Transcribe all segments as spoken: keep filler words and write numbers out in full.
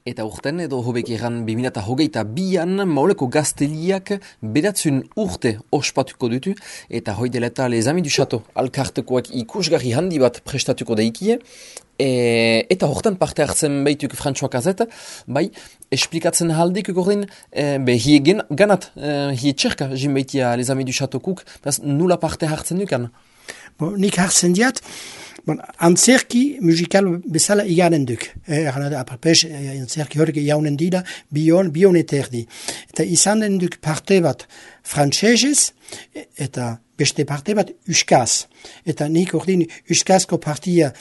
Eta urten edo hobek egan bi mila hogeita bian Mauleko gazteliak bedatzun urte ospatuko dutu eta hoi dela eta Les Amis du Château alkartekoak ikusgarri handi bat prestatuko daikie e, eta hortan parte hartzen baituk François Cazet, bai, esplikatzen haldik gordin e, be hie gen, ganat, e, hie txerka jin baitia Les Amis du Château kuk, beraz nula parte hartzen dukan? Bon, nik hartzen diat, bon, antzerki musikal bezala iganen duk. Eran da, apapes, antzerki horrek jaunen dira, bion, bion eterdi. Eta izanen duk parte bat frantsesez, eta beste parte bat uskaz. Eta nik ordin uskazko partia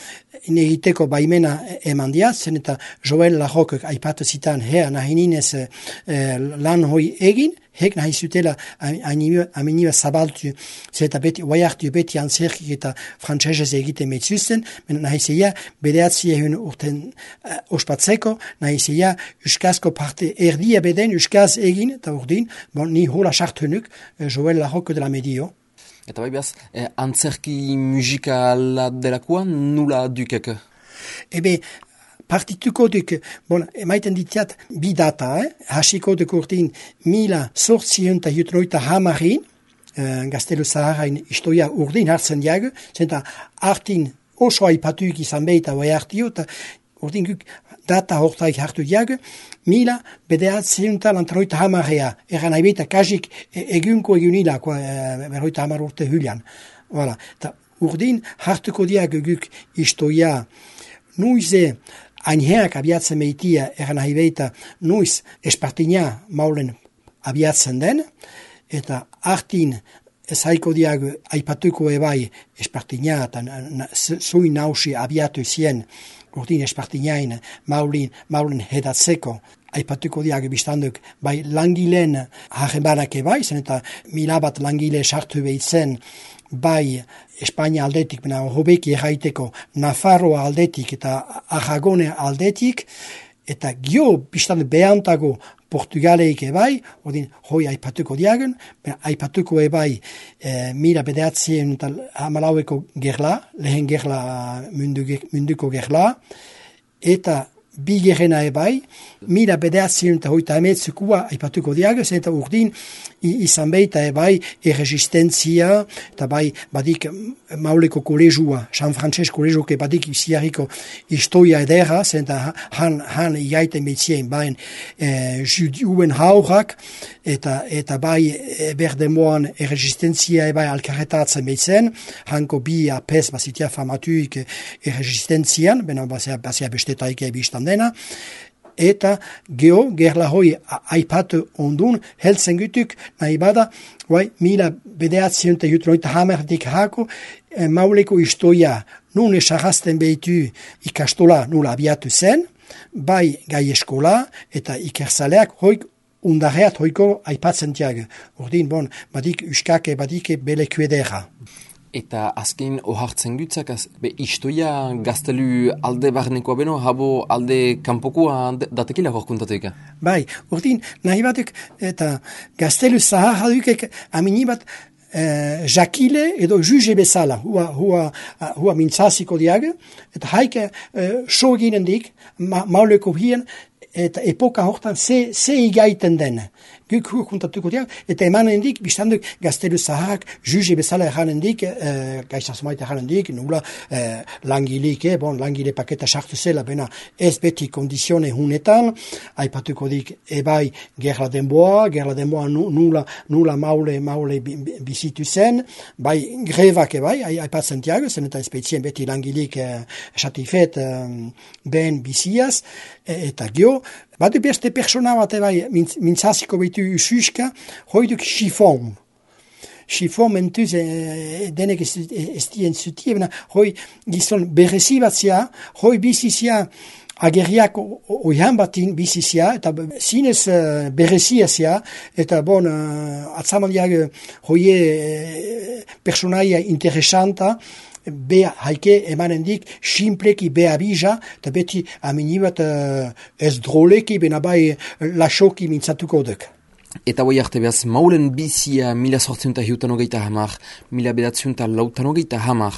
egiteko baimena eman diat, zen eta Joel Larrokek aipatu zitan, hea nahi ninez eh, lan hoi egin, hek nahi zutela ameniba zabaltu, zeta beti, oaiartu beti antzerkik eta frantsesez egiten metzuzten, nahi zeia, bedeatzi ehun urten uh, ospatzeko, nahi zeia, uskazko parte erdia beden, uskaz egin, eta urdin, bon, ni hola sartunuk, uh, Joel Larroke de la Medio. Eta bai behaz, eh, antzerki musikala delakoa nula dukek? Ebe, partituko duk, bon, emaiten ditiat bi data, eh? Hasiko duk urtin mila sortzion eta jutnoita hamarin, eh, Gaztelu Zaharain istoia urdin hartzen diago, zenta hartin oso aipatuik izan behita bai hartio, eta urdin guk data hortaik hartu diago, mila bedeatzen eta lantaroita hamarea, eran haibeta kasik egunko egunila, e, berroita hamar urte hulian. Voilà. Ta urdin hartuko diago guk istoia nuize ainheak abiatzen meitia, eran haibeta nuiz espartina maulen abiatzen den, eta hartin ezaiko diago aipatuko ebai espartina eta zuin nausi abiatu zien urdin espartinain maulin, maulin hedatzeko aipatuko diago biztanduk bai langileen hagebanak ebai, zen eta mila bat langile sartu behitzen bai Espainia aldetik, bena hobeki erraiteko Nafarroa aldetik eta Aragone aldetik, eta gio biztanduk behantago Portugaleik ebai, odin hoi aipatuko diagen, aipatuko ebai e, mila bedeatzien eta hamalaueko gerla, lehen gerla mundu, munduko gerla, eta bi gerena ebai, mila bedeatzien eta hoita emetzukua aipatuko diagen, eta urdin izan beita ebai erresistentzia, eta bai badik Mauleko kolezua, San Francisco kolezuke badik ziarriko historia edera, zenta han, han iaiten betzien bain e, judiuen haurak, eta, eta bai e, berdemoan erresistentzia ebai alkarretatzen betzen, hanko bi apes bazitia famatuik erresistentzian, bena bazia, bazia bestetaik ebistan dena, eta geho, gerla hoi aipatu ondun, heltzen gutuk, nahi bada, guai, mila bedeatzen eta jutloita hamerdik hako, e, Mauleko istoia, nun esarrazten behitu ikastola nula abiatu zen, bai gai eskola eta ikerzaleak hoik undarreat hoiko aipatzen tiago. Urdin, bon, badik uskake, badik beleku edera. Eta azken ohartzen gutzak, be istoia gaztelu alde barnekoa beno, habo alde kanpokoa datekila horkuntatuik? Bai, urdin, nahi batuk, eta gaztelu zahar hadukek amini bat eh, jakile edo juge bezala, hua, hua, hua mintzaziko diago, eta haike eh, so ginen dik, ma, mauleko hien, eta epoka hortan ze, ze igaiten den. Guk hukuntatuko diak, eta emanen dik, biztanduk gaztelu zaharrak, juge bezala eranen dik, eh, gaizazmait eranen dik, nula eh, langilik, eh, bon, langile paketa sartu zela, bena ez beti kondizione hunetan, aipatuko dik, ebai gerla denboa, gerla denboa nula, nula maule, maule bizitu zen, bai grebak ebai, aipatzen tiago, zen eta espezien beti langilik eh, satifet eh, ben biziaz, eta gio, badu beste persona bat ebai mintzaziko behitu ususka, hoiduk chifon. Chifon mentuz e, denek ez, ez dien zutie, bena hoi gizon berezi bat zia, hoi bizizia ageriak oihan batin bizizia, eta zinez uh, berezia zia, eta bon, uh, atzamaldiak hoie uh, personaia interesanta, be haike emanen dik, simpleki be abija, eta beti amini bat uh, ez droleki, bena bai lasoki mintzatuko duk. Eta hoi arte behaz, maulen bizia mila sortziunta hiutan hogeita hamar, mila bedatziunta lautan hogeita hamar,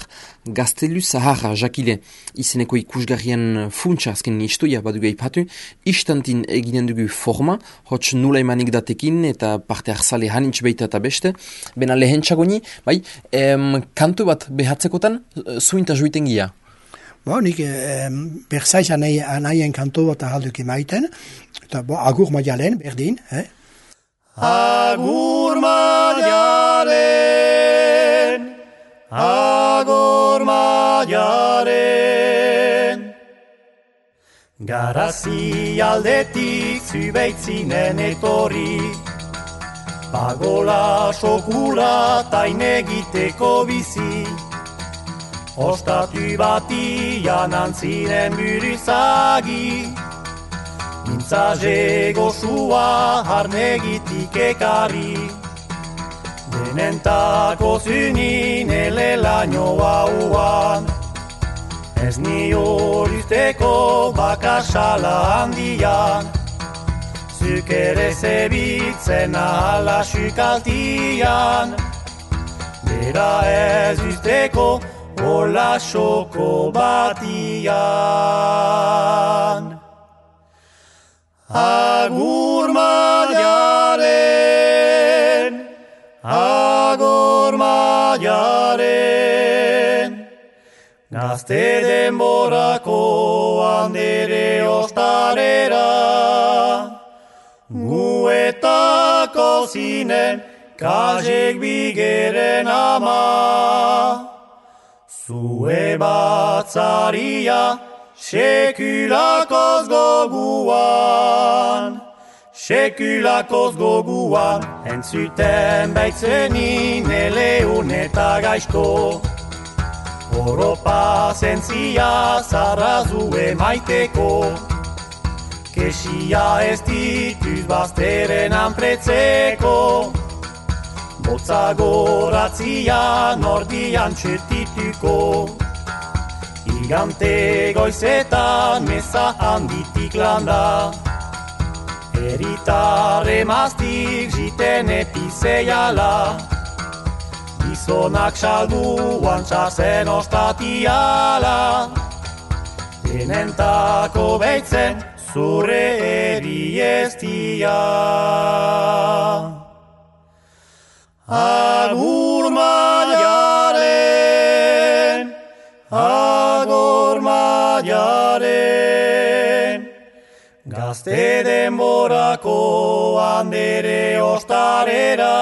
Gaztelu Zaharra, jakile, izeneko ikusgarrien funtsa, azken istoia badugu eipatu, istantin eginen dugu forma, hots nula emanik datekin, eta parte arzale hanitz beita eta beste, bena lehen txagoni, bai, em, kantu bat behatzekotan, zuinta juiten gia. Bo, nik eh, berzaiz anaien kantu bat ahalduk emaiten, eta bo, agur maialen, berdin, eh? Agur maiaren, agur maiaren. Garazi aldetik zubeitzinen etorri, pagola sokula tain egiteko bizi. Ostatu batian antziren buruzagi, mintzaze gozua harnegitik ekarri. Denentako zunin elelaino hauan, ez nio luzteko bakasala handian. Zuk ere zebitzen ahala sukaltian, bera ez luzteko hola xoko batian. Agur maiaren, agur maiaren, gazte denborako handere ostarera, guetako zinen kazek bigeren ama. Zue batzaria sekulakoz goguan, sekulakoz goguan, entzuten baitzenin eleun eta gaizto. Oropa zentzia zarrazue maiteko, kesia ez dituz bazteren anpretzeko. Botza goratzia nordian txetituko, igante goizetan meza handitik landa. Eritarre maztik jiten epizeiala, gizonak salduan txasen ostatiala. Denentako beitzen zure eriestia. Agur maiaren, agur maiaren, gazte denborako handere ostarera,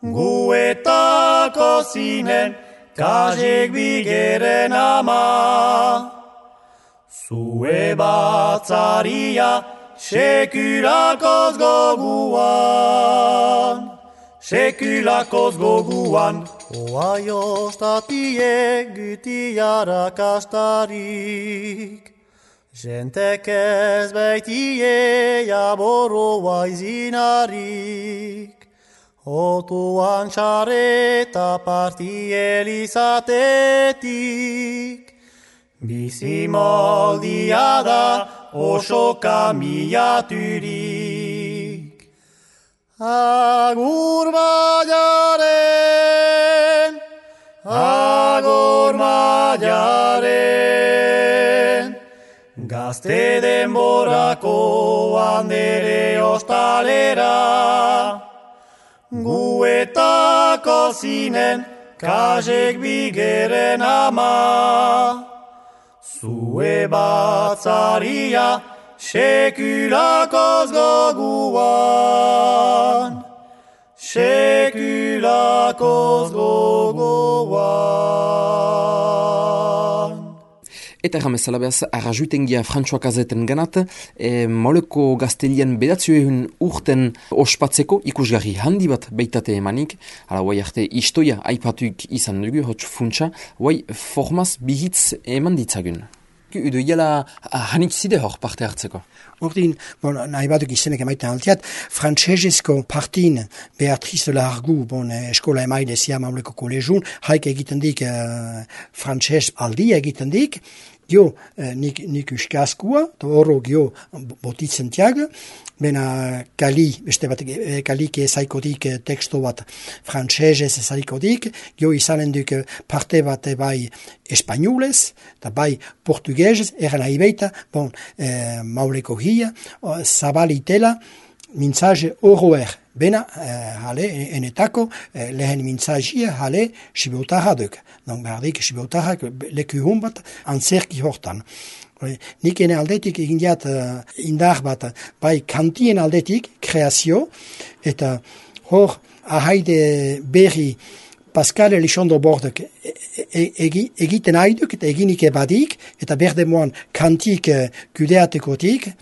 guetako zinen kazek bigeren ama. Zue batzaria sekulakoz goguan, sekulakoz goguan. Oai ostatiek gutiara kastarik, jentek ez baitie jaboroa izinarik. Otuan txareta partielizatetik, bizi moldia da oso kamilaturik. Agur maiaren, agur maiaren, gazte denborako handere ostalera, guetako zinen kazek bigeren ama. Zue batzaria sekulakoz goguan, sekulakoz goguan. Eta erramezala behaz, arrajuitengia Frantsoak azeten ganat, e, mauleko gaztelian bedatzioen urten ospatzeko ikusgarri handi bat beitate emanik, hala guai arte istoia aipatuik izan dugu, hotz funtsa, guai formaz bihitz eman ditzagun. Udo iala hanik zide hor parte hartzeko? Ordin, bon, nahi batuk izenek emaiten altiat, frantsesezko partin Beatrice Largu, bon, eskola emaile zia mauleko kolegun, haik egiten dik uh, frantses aldi egiten dik, Gio, eh, nik, nik uskazkua, eta horro gio botitzen tiag, bena kali, beste bat, e, kalike ezaikotik e, teksto bat frantsesez ezaikotik, gio izanen duk parte bat e, bai espainolez, eta bai portugesez, eran nahi beita, bon, e, mauleko hia, zabalitela, mintzaje horroer. Bena, eh, hale, enetako, eh, lehen mintzazia, hale, sibotarra duk. Donc, berdik, sibotarrak leku hon bat, antzerki hortan. Nik ene aldetik egin diat uh, indar bat, bai kantien aldetik, kreazio, eta hor, ahaide berri Pascal Elizondo Bordek egiten haiduk, eta eginik ebadik, eta berde moan kantik uh, kudeatekotik,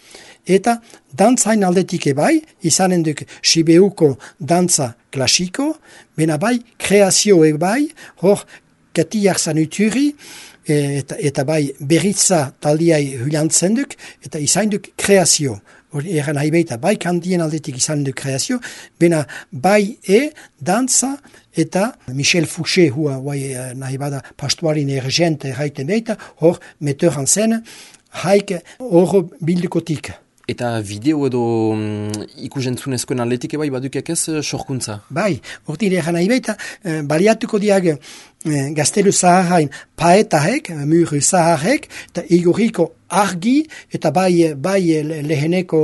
eta dantzain aldetik ebai, izanen duk Sibeuko dantza klasiko, bena bai kreazio ebai, hor katiak zanuturi, Eta, eta bai berritza taldiai hulantzen duk, eta izan duk kreazio. Eran nahi beita, bai kantien aldetik izan duk kreazio, bena bai e, dantza, eta Michel Fouché, hua bai, nahi bada pastuarin ergente erraiten beita, hor meteur en zen, haik horro bildukotik. Eta video edo um, ikusentzunezkoen atletik bai badukek ez sorkuntza? Bai, hortin eran nahi beita, eh, baliatuko diag eh, gaztelu zaharrain paetahek, muru zaharrek, eta igoriko argi, eta bai, bai leheneko,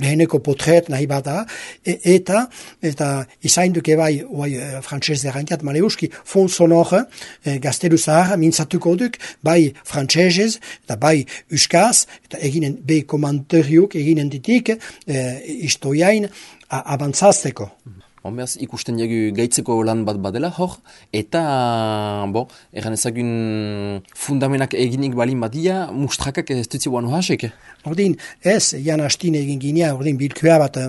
leheneko potret nahi bada, e, eta, eta izainduke bai, bai frantxez errantiat maleuski, fon sonore, eh, gaztelu zaharra mintzatuko duk, bai frantxezez, eta bai uskaz, eta eginen be komentariok eginen ditik, eh, istoiain abantzazteko. Honbeaz, ikusten jagu gaitzeko lan bat badela hor, eta, bo, egan ezagun fundamenak eginik balin badia, mustrakak ez dutzi guan hoxek? Ordin, ez, jan hastin egin ginea, ordin bilkua bat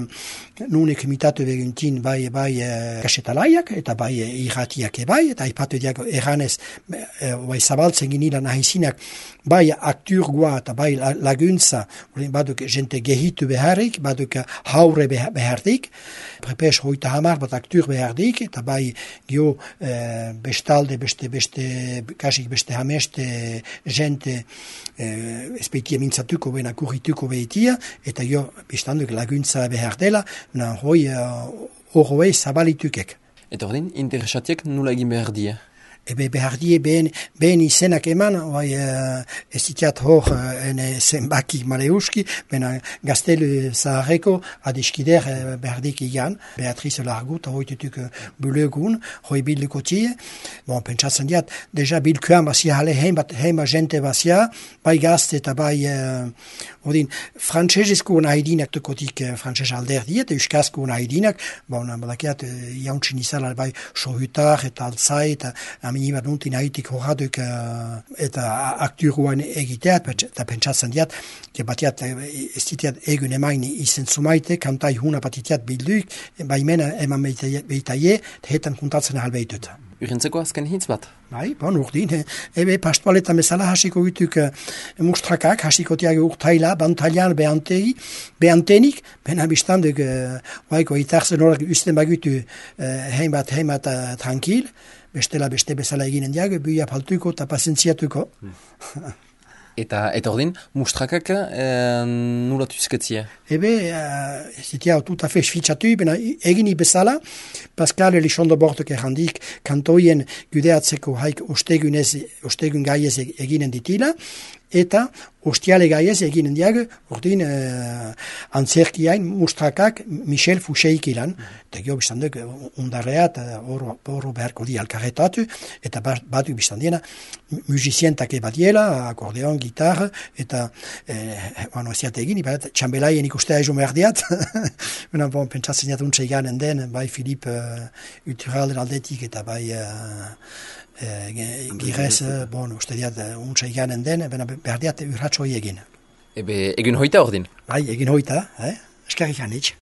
nunek imitatu beguntin bai, bai kasetalaiak, eta bai irratiak ebai, eta ipatu diak eganez, bai zabaltzen ginilan nahizinak, bai akturgoa eta bai laguntza, ordin baduk jente gehitu beharrik, baduk haure beharrik, prepes hoita hamar bat aktur beharrik, eta bai gio eh, bestalde, beste, beste, kasik beste hameste jente eh, espeitia mintzatuko bena kurrituko behitia, eta gio bestanduk laguntza behar dela, na hoi horroei uh, zabalitukek. Eta ordin, interesatiek nula egin behar die? Ebe behar die behen, behen izenak eman, bai, uh, ez ditiat hor uh, ene zenbaki maleuski, bena gaztelu zaharreko adiskider uh, berdik igan, Beatrice Largut, hoi tutuk uh, bulegun, hoi bilduko tie. Bon, pentsatzen diat, deja bilkuan bazia hale heimbat, heima jente bazia, bai gazte eta bai, uh, odin, frantsesezko nahidinak tukotik uh, frantses alderdi, eta euskazko nahidinak, bon, badakiat, uh, jauntsin izala bai sohutar eta altzai, eta Niba nuntin haitik horraduk uh, eta akturuan egiteat, eta pentsatzen diat, batiat ez ditiat egun emain izen zumaite, kantai huna batitiat bilduik, baimena eman behitaie, hetan kuntatzen ahalbeitut. Urentzeko azken hitz bat? Bai, bon, urdin. Ebe pastualetan bezala hasiko gutuk uh, mustrakak, hasiko tiag urtaila, bantalian behantegi, behantenik, bena biztanduk, uh, waiko itarzen horak usten bagutu uh, heimat, heimat uh, tranquil, bestela beste bezala eginen diag, buia paltuko eta pasentziatuko. Eta, eta ordin, mustrakak e, nula tuzketzia? Ebe, uh, zitia tout afe sfitxatu, bena egini bezala, Pascal Elizondo Bordek errandik, kantoien gudeatzeko haik ostegunez, ostegun gaiez eginen ditila, eta ostiale gaiez eginen diag, ordin uh, antzerkiain mustrakak Michel Fouché ilan, eta gio biztanduk undarreat, horro beharko di alkarretatu, eta batu biztandiena musizientak badiela, akordeon, gitarra, eta eh, bueno, ziat egin, bat txambelaien ikustea ezo merdiat, bena bon, pentsatzen jat untsa iganen den, bai Filip uh, Uturalden aldetik, eta bai uh, uh, girez, bon, uste diat untsa iganen den, bena behar diat urratxo egin. Ebe, egin hoita ordin? Bai, egin hoita, eh? Eskerrik hanitz.